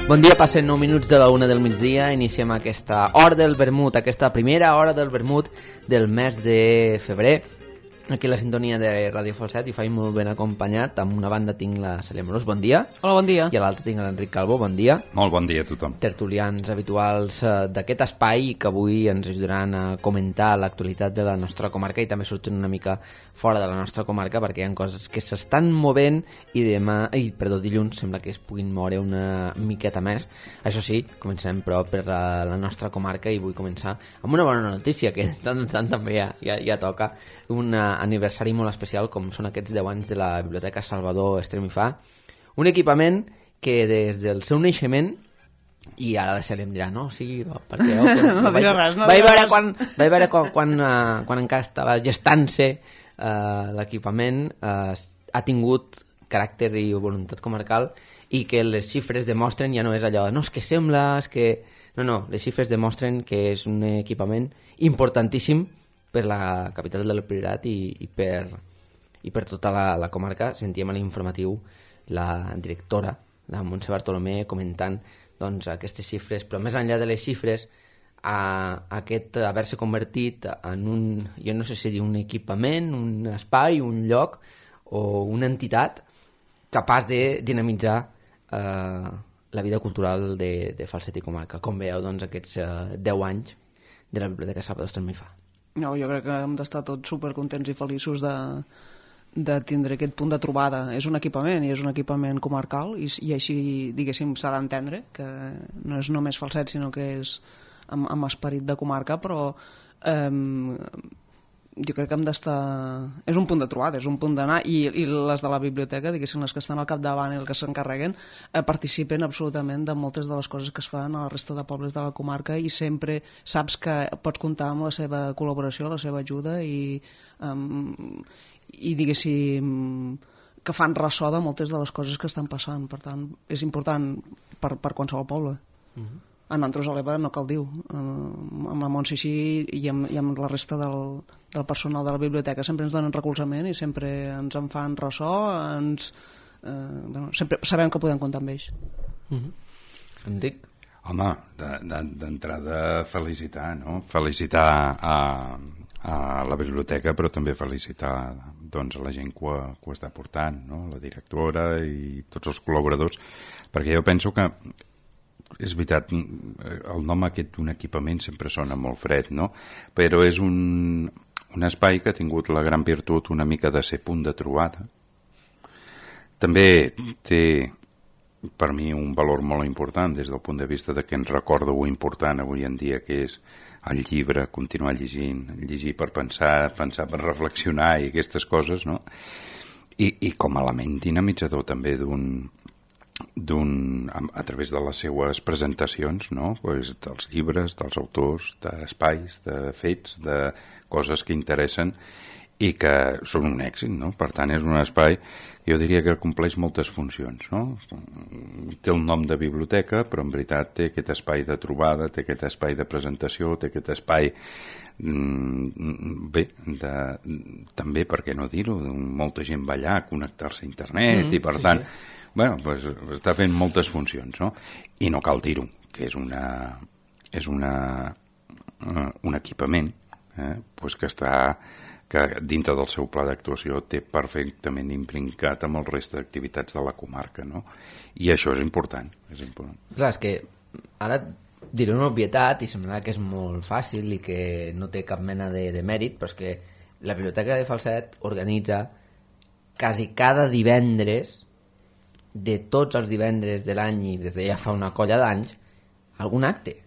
Bon dia, passen 9 minuts de la 1 del migdia, iniciem aquesta hora del vermut, aquesta primera hora del vermut del mes de febrer. Aquí la sintonia de Ràdio Falset i faig molt ben acompanyat. Amb una banda tinc la Cèlia Morós, bon dia. Hola, bon dia. I a l'altra tinc l'Enric Calvo, bon dia. Molt bon dia a tothom. Tertulians habituals d'aquest espai que avui ens ajudaran a comentar l'actualitat de la nostra comarca i també sortint una mica fora de la nostra comarca perquè hi ha coses que s'estan movent i dilluns sembla que es puguin moure una miqueta més. Això sí, començarem però per la nostra comarca i vull començar amb una bona notícia que de tant en tant també ja toca. Un aniversari molt especial com són aquests 10 anys de la Biblioteca Salvador Estremifà, un equipament que des del seu naixement, i ara la Cèlia em dirà no, sí, perquè no dirà res, no vaig veure quan encara estava gestant-se l'equipament, ha tingut caràcter i voluntat comarcal i que les xifres demostren, ja no és allò, no, és que sembla, és que... No, les xifres demostren que és un equipament importantíssim per la capital del Priorat i per tota la comarca. Sentíem a l'informatiu la directora, la Montse Bartolomé, comentant doncs, aquestes xifres, però més enllà de les xifres, aquest haver-se convertit en un, jo no sé si dir un equipament, un espai, un lloc o una entitat capaç de dinamitzar la vida cultural de Falset i comarca. Com veieu, doncs, aquests 10 anys de la Biblioteca Salvador Estremifà? No, jo crec que hem d'estar tots supercontents i feliços de tindre aquest punt de trobada. És un equipament i és un equipament comarcal i així, diguéssim, s'ha d'entendre que no és només Falset, sinó que és amb esperit de comarca, però jo crec que hem d'estar... És un punt de trobada, és un punt d'anar i les de la biblioteca, diguéssim, les que estan al capdavant i els que s'encarreguen, participen absolutament de moltes de les coses que es fan a la resta de pobles de la comarca i sempre saps que pots comptar amb la seva col·laboració, la seva ajuda i diguéssim que fan ressò de moltes de les coses que estan passant. Per tant, és important per qualsevol poble. A nosaltres a l'EVA no cal dir amb la Montse i amb la resta del personal de la biblioteca sempre ens donen recolzament i sempre ens en fan ressò, sempre sabem que podem comptar amb ells. Enric? Home, d'entrada felicitar, no? Felicitar a la biblioteca, però també felicitar doncs, a la gent que ho està portant, no? La directora i tots els col·laboradors, perquè jo penso que és veritat, el nom aquest d'un equipament sempre sona molt fred, no? Però és un espai que ha tingut la gran virtut una mica de ser punt de trobada. També té per mi un valor molt important des del punt de vista de que ens recorda ho important avui en dia que és el llibre, continuar llegint, llegir per pensar per reflexionar i aquestes coses, no? I com a element dinamitzador també a través de les seues presentacions, no? Pues dels llibres, dels autors, d'espais, de fets, de coses que interessen i que són un èxit, no? Per tant, és un espai, jo diria que compleix moltes funcions, no? Té el nom de biblioteca, però en veritat té aquest espai de trobada, té aquest espai de presentació, té aquest espai bé, també, per què no dir-ho, molta gent va allà a connectar-se a internet i per tant bueno, pues, està fent moltes funcions, no? I no cal dir-ho, que és un equipament pues que dintre del seu pla d'actuació té perfectament imprincat amb el reste d'activitats de la comarca, no? I això és important. Clar, és que ara diré una obvietat i semblarà que és molt fàcil i que no té cap mena de mèrit, però és que la Biblioteca de Falset organitza quasi cada divendres de tots els divendres de l'any i des de ja fa una colla d'anys algun acte,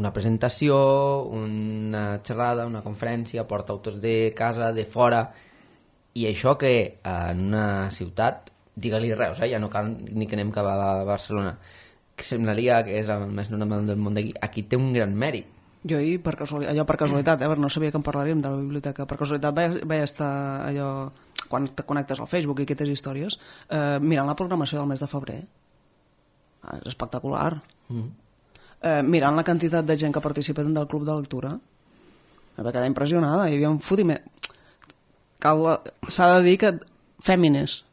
una presentació, una xerrada, una conferència, porta autors de casa, de fora, i això que en una ciutat, digue-li Reus, ja no cal ni que anem cap a Barcelona, que semblaria que és el més normal del món d'aquí, aquí té un gran mèrit. Jo ahir, per casualitat, no sabia que en parlaríem de la biblioteca, per casualitat vaig estar allò, quan te connectes al Facebook i aquestes històries, mirant la programació del mes de febrer. És espectacular. Mirant la quantitat de gent que participa del club de lectura, em va quedar impressionada, hi havia un fotiment. S'ha de dir que fèmines,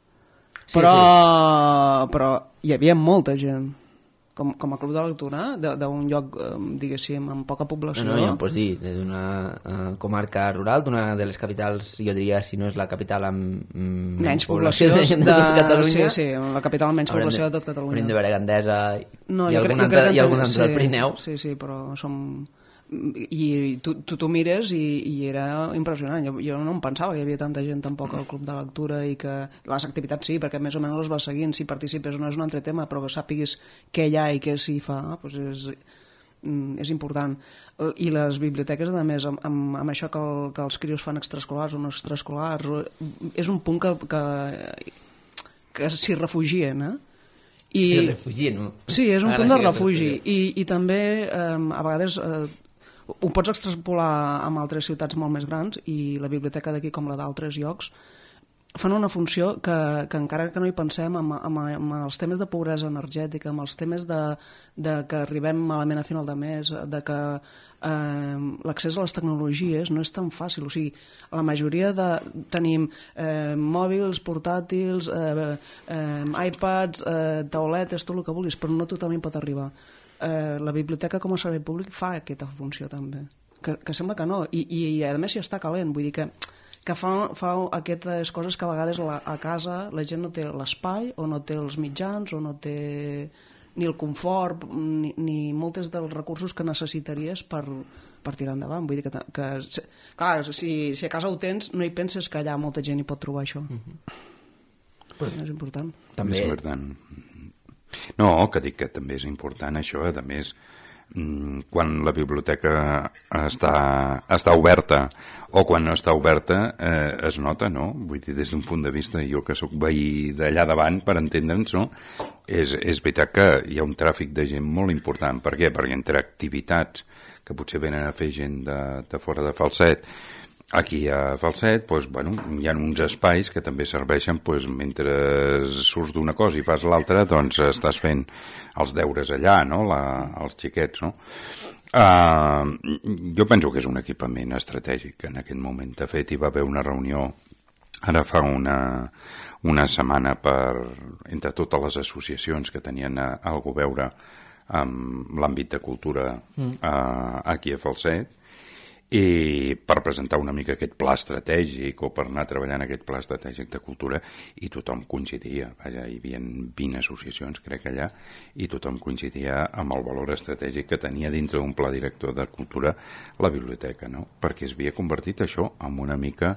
però hi havia molta gent. com a club de lectura d'un lloc, diguéssim, amb poca població. No, ja em pots dir, d'una comarca rural, d'una de les capitals, jo diria, si no és la capital amb menys població de Catalunya. Sí, la capital amb menys població de tot Catalunya. Hauríem de veure Gandesa i algun altre del Pirineu. Sí, però som... I tu mires i era impressionant. Jo no em pensava que hi havia tanta gent tampoc al club de lectura i que les activitats sí, perquè més o menys les vas seguint, si participes no és un altre tema, però que sàpiguis què hi ha i què s'hi fa, doncs és important. I les biblioteques, a més, amb això que els crios fan extraescolars o no extraescolars, és un punt que s'hi refugien, Sí, és un punt de refugi. I també, a vegades, ho pots extrapolar amb altres ciutats molt més grans i la biblioteca d'aquí, com la d'altres llocs, fan una funció que encara que no hi pensem, amb els temes de pobresa energètica, amb els temes de que arribem malament a final de mes, de que l'accés a les tecnologies no és tan fàcil. O sigui, la majoria tenim mòbils, portàtils, iPads, tauletes, tot el que vulguis, però no tothom hi pot arribar. La biblioteca com a servei públic fa aquesta funció també, que sembla que no, i a més si està calent, vull dir que fa aquestes coses que a vegades a casa la gent no té l'espai o no té els mitjans o no té ni el confort ni moltes dels recursos que necessitaries per tirar endavant. Vull dir que clar, si a casa ho tens no hi penses que allà molta gent hi pot trobar això. És important. També és important. No, que dic que també és important això, a més, quan la biblioteca està oberta o quan no està oberta es nota, no? Vull dir, des d'un punt de vista, jo que sóc veí d'allà davant, per entendre'ns, no? És veritat que hi ha un tràfic de gent molt important. Per què? Perquè entre activitats que potser venen a fer gent de fora de Falset, aquí a Falset, doncs, bueno, hi ha uns espais que també serveixen, doncs, mentre surts d'una cosa i fas l'altra, doncs estàs fent els deures allà, no? Els xiquets, no? Jo penso que és un equipament estratègic en aquest moment. De fet, hi va haver una reunió ara fa una setmana entre totes les associacions que tenien algú a veure amb l'àmbit de cultura aquí a Falset, i per presentar una mica aquest pla estratègic o per anar treballant aquest pla estratègic de cultura, i tothom coincidia, vaja, hi havia 20 associacions crec allà, i tothom coincidia amb el valor estratègic que tenia dintre d'un pla director de cultura la biblioteca, no? Perquè es havia convertit això en una mica,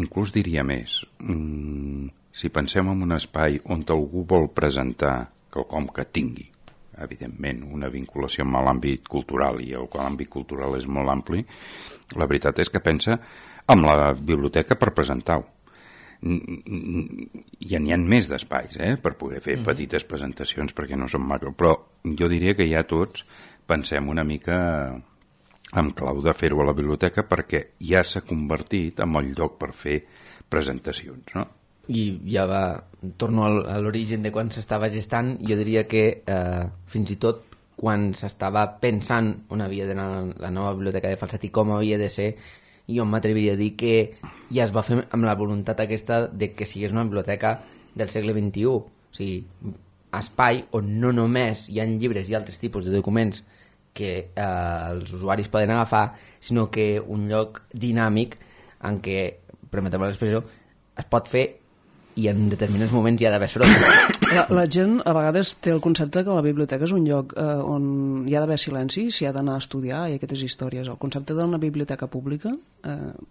inclús diria més, si pensem en un espai on algú vol presentar quelcom que tingui evidentment una vinculació amb l'àmbit cultural, i l'àmbit cultural és molt ampli, la veritat és que pensa amb la biblioteca per presentar-ho. Ja n'hi ha més d'espais per poder fer petites presentacions perquè no són macro, però jo diria que ja tots pensem una mica en clau de fer-ho a la biblioteca perquè ja s'ha convertit en el lloc per fer presentacions, no? I ja torno a l'origen de quan s'estava gestant, jo diria que fins i tot quan s'estava pensant on havia d'anar la nova biblioteca de Falset i com havia de ser, jo m'atreviria a dir que ja es va fer amb la voluntat aquesta de que sigués una biblioteca del segle XXI, o sigui, espai on no només hi ha llibres i altres tipus de documents que els usuaris poden agafar, sinó que un lloc dinàmic en què, permeteu l'expressió, es pot fer i en determinats moments hi ha d'haver soroll. La gent a vegades té el concepte que la biblioteca és un lloc on hi ha d'haver silenci, s'hi ha d'anar a estudiar i aquestes històries. El concepte d'una biblioteca pública,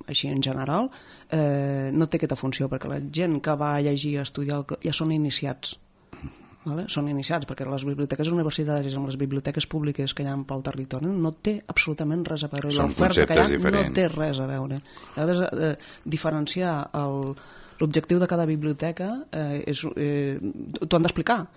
així en general, no té aquesta funció, perquè la gent que va a llegir, a estudiar, ja són iniciats. Vale? Són iniciats, perquè les biblioteques universitàries amb les biblioteques públiques que hi ha pel territori no té absolutament res a veure. L'oferta que hi ha no té res a veure. A vegades diferenciar l'objectiu de cada biblioteca t'ho han d'explicar,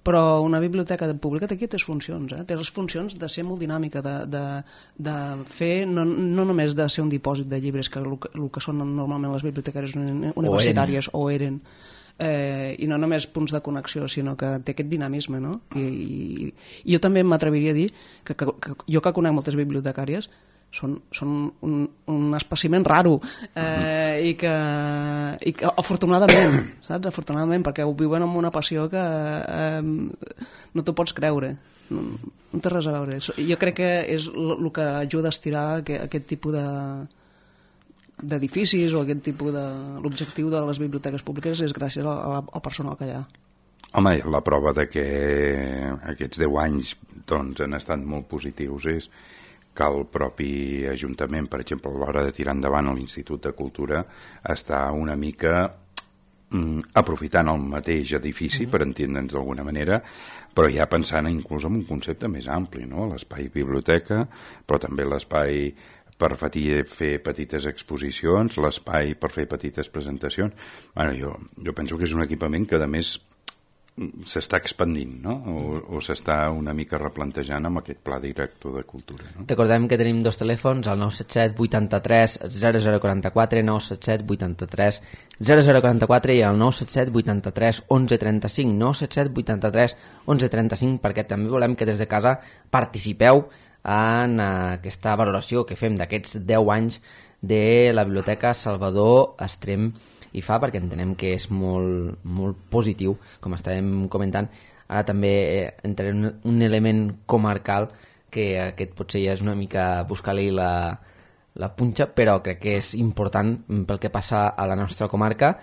però una biblioteca pública té aquestes funcions, té les funcions de ser molt dinàmica, de fer, no només de ser un dipòsit de llibres, que el que són normalment les bibliotecaries universitàries o eren, i no només punts de connexió, sinó que té aquest dinamisme, no? I jo també m'atreviria a dir que jo que conec moltes bibliotecàries, són un espècimen raro i que afortunadament, saps? Afortunadament, perquè ho viuen amb una passió que no t'ho pots creure, no té res a veure. Jo crec que és el que ajuda a estirar aquest tipus d'edificis o aquest tipus de... L'objectiu de les biblioteques públiques és gràcies al personal que hi ha. Home, la prova de que aquests 10 anys doncs, han estat molt positius és que el propi Ajuntament, per exemple, a l'hora de tirar endavant l'Institut de Cultura, està una mica aprofitant el mateix edifici, per entendre'ns d'alguna manera, però ja pensant inclús en un concepte més ampli, no? L'espai biblioteca, però també l'espai per fer petites exposicions, l'espai per fer petites presentacions. Bueno, jo penso que és un equipament que, a més, s'està expandint, no? O s'està una mica replantejant amb aquest pla director de cultura, no? Recordem que tenim 2 telèfons, el 977 83 0044, 977 83 0044 i el 977 83 1135, 977 83 1135, perquè també volem que des de casa participeu en aquesta valoració que fem d'aquests 10 anys de la Biblioteca Salvador Estrem i Fa, perquè entenem que és molt, molt positiu, com estàvem comentant. Ara també entrarem en un element comarcal, que aquest potser ja és una mica buscar-li la punxa, però crec que és important pel que passa a la nostra comarca.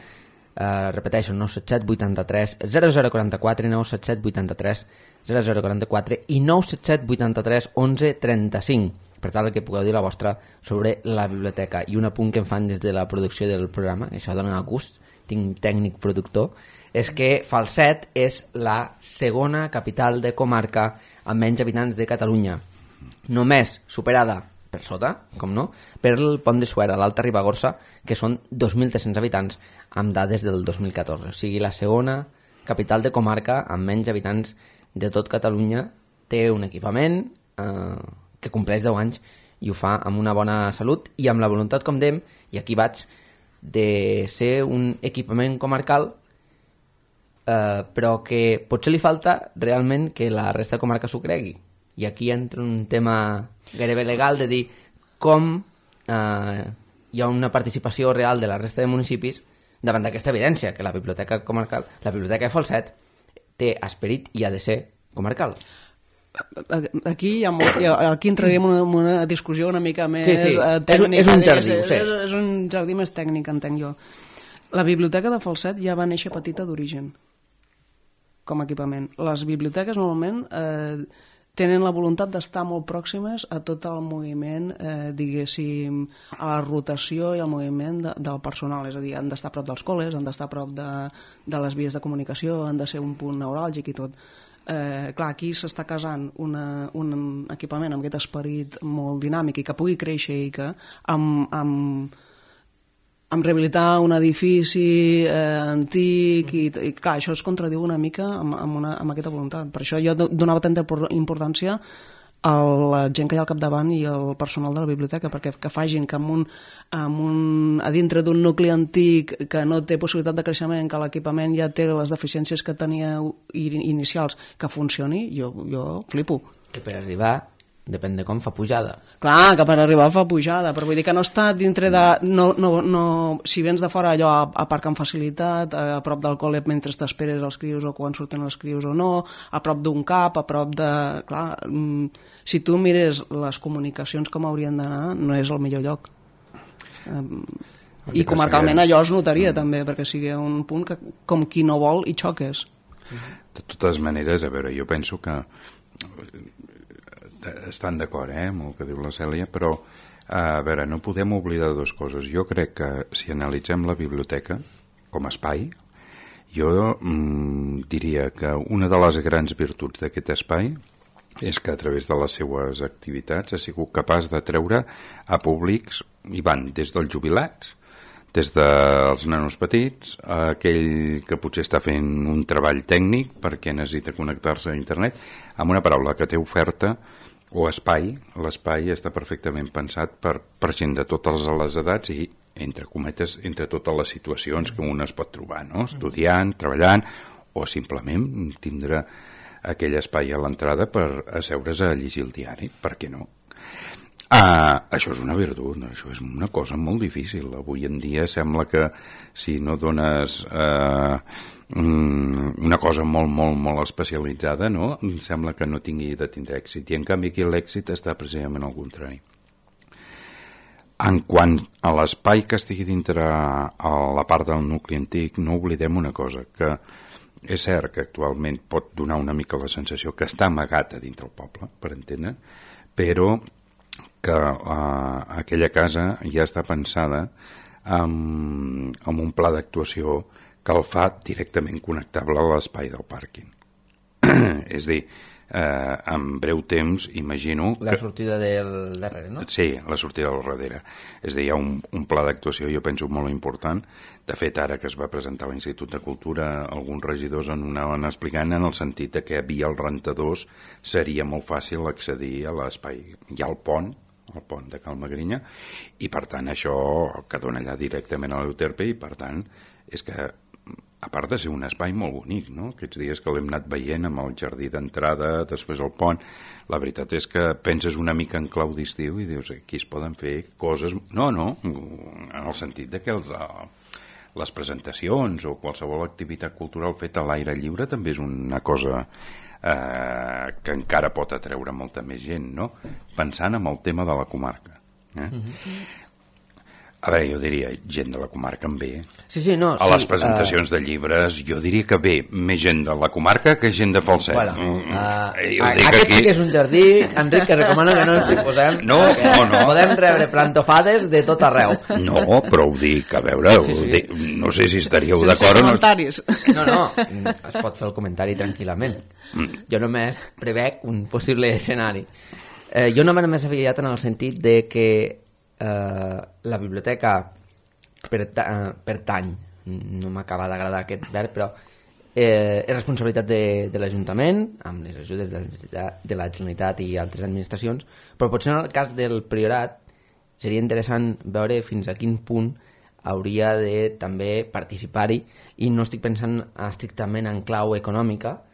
Repeteixo, 977 83 0044, 977 83 0044 i 977 83 1135. Per tal que pugueu dir la vostra sobre la biblioteca. I un apunt que em fan des de la producció del programa, que això dona gust, tinc tècnic productor, és que Falset és la segona capital de comarca amb menys habitants de Catalunya, només superada per sota, com no, per el Pont de Suera, l'Alta Ribagorça, que són 2.300 habitants amb dades del 2014. O sigui, la segona capital de comarca amb menys habitants de tot Catalunya té un equipament que compleix 10 anys i ho fa amb una bona salut i amb la voluntat, com dèiem, i aquí vaig, de ser un equipament comarcal, però que potser li falta realment que la resta de comarca s'ho cregui. I aquí entra un tema gairebé legal de dir com hi ha una participació real de la resta de municipis davant d'aquesta evidència, que la biblioteca comarcal, la biblioteca de Falset, té esperit i ha de ser comarcal. Aquí entraríem en una discussió una mica més tècnica. És un jardí, ho sé. És un jardí més tècnic, entenc jo. La biblioteca de Falset ja va néixer petita d'origen, com a equipament. Les biblioteques normalment tenen la voluntat d'estar molt pròximes a tot el moviment, diguéssim, a la rotació i al moviment del personal. És a dir, han d'estar a prop dels col·les, han d'estar a prop de les vies de comunicació, han de ser un punt neuràlgic i tot. Clar, aquí s'està casant un equipament amb aquest esperit molt dinàmic i que pugui créixer i que amb rehabilitar un edifici antic i clar, això es contradiu una mica amb aquesta voluntat. Per això jo donava tanta importància a la gent que hi ha al capdavant i el personal de la biblioteca, perquè que facin que a dintre d'un nucli antic que no té possibilitat de creixement, que l'equipament ja té les deficiències que tenia inicials, que funcioni, jo flipo. Que per arribar depèn de com fa pujada. Clar, que per arribar fa pujada, però vull dir que no està dintre de... si vens de fora allò a parc amb facilitat, a prop del col·le mentre t'esperes els crios o quan surten els crios o no, a prop d'un cap, a prop de... Clar, si tu mires les comunicacions com haurien d'anar, no és el millor lloc. I comarcalment allò es notaria també, perquè sigui un punt que com qui no vol hi xoques. De totes maneres, a veure, jo penso que estan d'acord amb el que diu la Cèlia, però a veure, no podem oblidar dues coses. Jo crec que si analitzem la biblioteca com a espai, jo diria que una de les grans virtuts d'aquest espai és que a través de les seues activitats ha sigut capaç de treure a públics, i van des dels jubilats, des dels nanos petits, a aquell que potser està fent un treball tècnic perquè necessita connectar-se a internet, amb una paraula que té oferta o espai. L'espai està perfectament pensat per gent de totes les edats i, entre cometes, entre totes les situacions que un es pot trobar, no? Estudiant, treballant o simplement tindre aquell espai a l'entrada per asseure's a llegir el diari, per què no? Això és una virtut, això és una cosa molt difícil. Avui en dia sembla que si no dones una cosa molt, molt, molt especialitzada, no? Sembla que no tingui de tindre èxit. I en canvi aquí l'èxit està precisament al contrari. En quant a l'espai que estigui dintre a la part del nucli antic, no oblidem una cosa, que és cert que actualment pot donar una mica la sensació que està amagat a dintre el poble, per entendre, però que aquella casa ja està pensada amb un pla d'actuació que el fa directament connectable a l'espai del pàrquing. És a dir, en breu temps, imagino... La sortida del darrere, no? Sí, la sortida del darrere. És a dir, hi ha un pla d'actuació, jo penso, molt important. De fet, ara que es va presentar a l'Institut de Cultura, alguns regidors en anaven explicant en el sentit que via els rentadors seria molt fàcil accedir a l'espai. Hi ha el pont de Cal Magrinya, i per tant això que dona allà directament a l'Euterpe, i per tant és que a part de ser un espai molt bonic, no? Aquests dies que l'hem anat veient amb el jardí d'entrada, després el pont, la veritat és que penses una mica en clau d'estiu i dius, aquí es poden fer coses... No, en el sentit de que les presentacions o qualsevol activitat cultural feta a l'aire lliure també és una cosa que encara pot atreure molta més gent, no? Pensant en el tema de la comarca. A veure, jo diria gent de la comarca en ve. A les presentacions de llibres jo diria que ve més gent de la comarca que gent de Falset. Aquest sí que és un jardí, Enric, que recomano que no ens hi posem. No. Podem rebre plantofades de tot arreu. No, però ho dic, a veure, no sé si estaríeu d'acord. Sense comentaris. No, es pot fer el comentari tranquil·lament. Jo només prevec un possible escenari. Jo només m'he aviat en el sentit de que la biblioteca pertany, no m'acaba d'agradar aquest verb, però és responsabilitat de l'Ajuntament amb les ajudes de la Generalitat i altres administracions, però potser en el cas del Priorat seria interessant veure fins a quin punt hauria de també participar-hi, i no estic pensant estrictament en clau econòmica,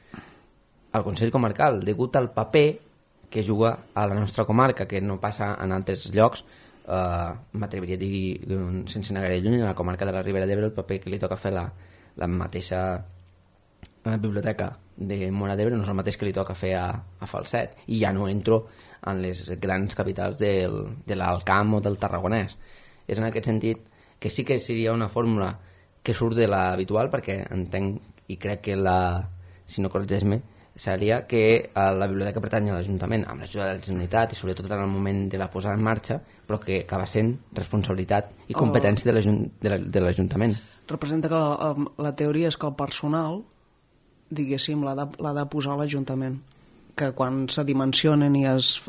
al Consell Comarcal, degut al paper que juga a la nostra comarca, que no passa en altres llocs. M'atreviria a dir, sense anar gaire lluny, a la comarca de la Ribera d'Ebre el paper que li toca fer la mateixa biblioteca de Móra d'Ebre no és el mateix que li toca fer a Falset, i ja no entro en les grans capitals de l'Alt Camp o del Tarragonès. És en aquest sentit que sí que seria una fórmula que surt de l'habitual, perquè entenc i crec que si no corregeix-me, seria que la biblioteca pertany a l'Ajuntament amb l'ajuda de la Generalitat i sobretot en el moment de la posada en marxa, però que acaba sent responsabilitat i competència de l'Ajuntament. Representa que la teoria és que el personal, diguéssim, l'ha de posar a l'Ajuntament, que quan se dimensionen i es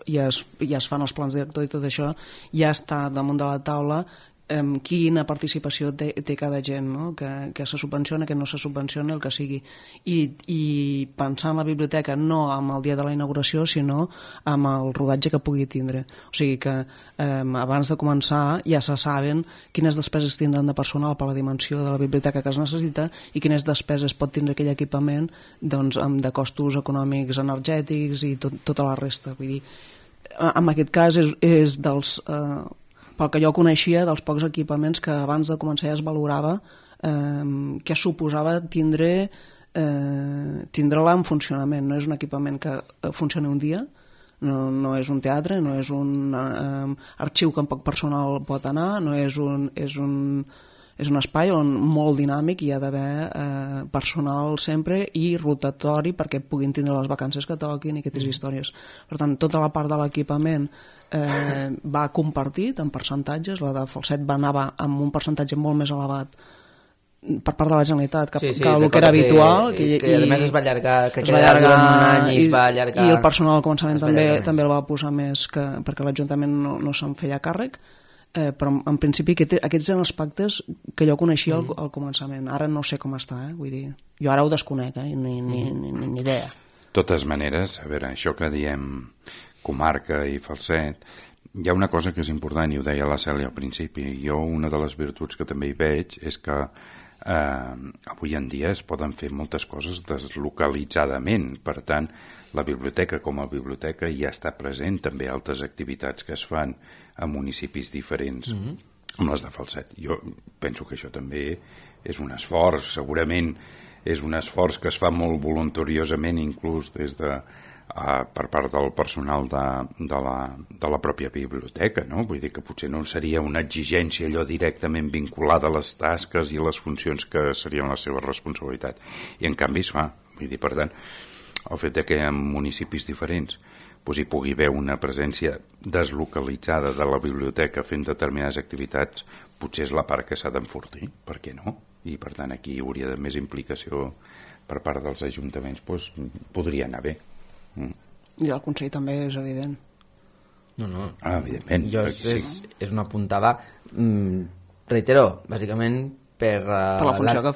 fan els plans directors i tot això, ja està damunt de la taula quina participació té cada gent, no? Que se subvenciona, que no se subvenciona, el que sigui, i pensar en la biblioteca no amb el dia de la inauguració, sinó amb el rodatge que pugui tindre. O sigui que abans de començar ja se saben quines despeses tindran de personal per la dimensió de la biblioteca que es necessita i quines despeses pot tindre aquell equipament, doncs, de costos econòmics, energètics i tota la resta. Vull dir, en aquest cas és dels... pel que jo coneixia, dels pocs equipaments que abans de començar ja es valorava què suposava tindre-la en funcionament. No és un equipament que funcioni un dia, no és un teatre, no és un arxiu que amb poc personal pot anar, no és un espai on molt dinàmic hi ha d'haver personal sempre i rotatori perquè puguin tindre les vacances que toquin i aquestes històries. Per tant, tota la part de l'equipament va compartit en percentatges. La de Falset va anar amb un percentatge molt més elevat per part de la Generalitat que el que era habitual, que a més es va allargar, crec que durant un any i es va allargar, i el personal al començament també el va posar més perquè l'Ajuntament no se'n feia càrrec, però en principi aquests eren els pactes que jo coneixia al començament. Ara no sé com està, vull dir, jo ara ho desconec, ni idea. De totes maneres, a veure, això que diem comarca i Falset, hi ha una cosa que és important, i ho deia la Cèlia al principi. Jo una de les virtuts que també hi veig és que avui en dia es poden fer moltes coses deslocalitzadament. Per tant, la biblioteca com a biblioteca ja està present també altres activitats que es fan a municipis diferents, com les de Falset. Jo penso que això també és un esforç, segurament és un esforç que es fa molt voluntariosament, inclús des de per part del personal de la pròpia biblioteca, no? Vull dir que potser no seria una exigència allò directament vinculada a les tasques i a les funcions que serien la seva responsabilitat, i en canvi es fa. Vull dir, per tant, el fet que en municipis diferents hi pugui haver una presència deslocalitzada de la biblioteca fent determinades activitats, potser és la part que s'ha d'enfortir, per què no? I per tant aquí hi hauria de més implicació per part dels ajuntaments, podria anar bé. I el Consell també és evident. No. Evidentment. És una puntada, reitero, bàsicament per la funció que